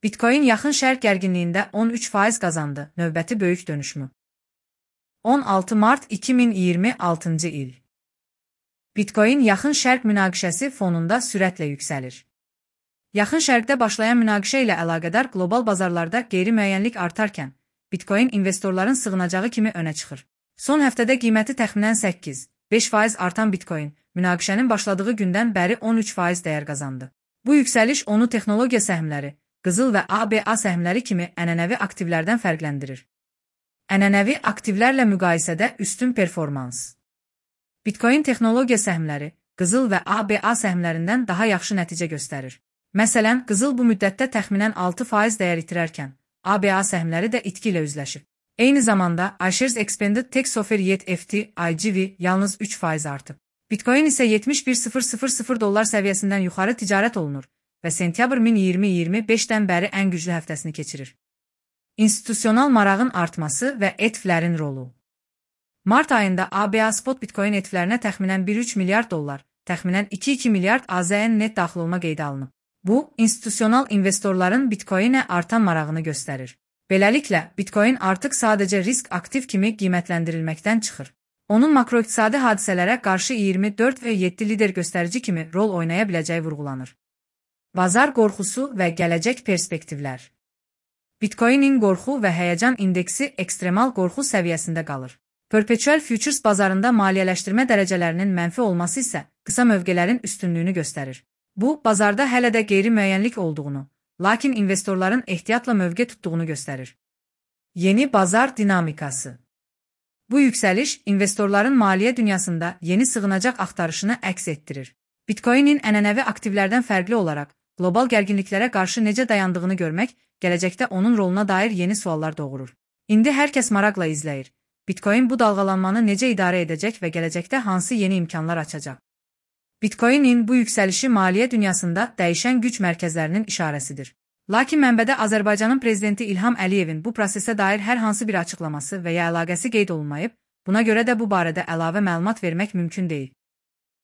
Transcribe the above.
Bitcoin yaxın şərq gərginliyində 13% qazandı, növbəti böyük dönüşmü. 16 mart 2026 il. Bitcoin yaxın şərq münaqişəsi fonunda sürətlə yüksəlir. Yaxın şərqdə başlayan münaqişə ilə əlaqədar qlobal bazarlarda qeyri-müəyyənlik artarkən, Bitcoin investorların sığınacağı kimi önə çıxır. Son həftədə qiyməti təxminən 8-5% artan Bitcoin, münaqişənin başladığı gündən bəri 13% dəyər qazandı. Bu yüksəliş onu texnologiya səhmləri, qızıl və ABA səhmləri kimi ənənəvi aktivlərdən fərqləndirir. Ənənəvi aktivlərlə müqayisədə üstün performans. Bitcoin texnologiya səhmləri, qızıl və ABA səhmlərindən daha yaxşı nəticə göstərir. Məsələn, qızıl bu müddətdə təxminən 6% dəyər itirərkən, ABA səhmləri də itki ilə üzləşib. Eyni zamanda, iShares Expanded Tax Offer Yet FT, IGV yalnız 3% artıb. Bitcoin isə $71.000 səviyyəsindən yuxarı ticarət olunur və sentyabr 2025-dən bəri ən güclü həftəsini keçirir. İnstitusional marağın artması və ETF-lərin rolu. Mart ayında ABA spot Bitcoin ETF-lərinə təxminən $1,3 milyard, təxminən $2,2 milyard AZN net daxil olma qeydə alınıb. Bu, institusional investorların Bitcoinə artan marağını göstərir. Beləliklə, Bitcoin artıq sadəcə risk aktiv kimi qiymətləndirilməkdən çıxır. Onun makroiqtisadi hadisələrə qarşı 24 və 7 lider göstərici kimi rol oynaya biləcəyi vurğulanır. Bazar qorxusu və gələcək perspektivlər. Bitcoinin qorxu və həyəcan indeksi ekstremal qorxu səviyyəsində qalır. Perpetual futures bazarında maliyyələşdirmə dərəcələrinin mənfi olması isə qısa mövqələrin üstünlüyünü göstərir. Bu, bazarda hələ də qeyri-müəyyənlik olduğunu, lakin investorların ehtiyatla mövqe tutduğunu göstərir. Yeni bazar dinamikası. Bu yüksəliş, investorların maliyyə dünyasında yeni sığınacaq axtarışını əks etdirir. Bitcoinin ənənəvi aktivlərdən fərqli olaraq, qlobal gərginliklərə qarşı necə dayandığını görmək, gələcəkdə onun roluna dair yeni suallar doğurur. İndi hər kəs maraqla izləyir. Bitcoin bu dalğalanmanı necə idarə edəcək və gələcəkdə hansı yeni imkanlar açacaq? Bitcoinin bu yüksəlişi maliyyə dünyasında dəyişən güc mərkəzlərinin işarəsidir. Lakin mənbədə Azərbaycanın prezidenti İlham Əliyevin bu prosesə dair hər hansı bir açıqlaması və ya əlaqəsi qeyd olunmayıb, buna görə də bu barədə əlavə məlumat vermək mümkün deyil.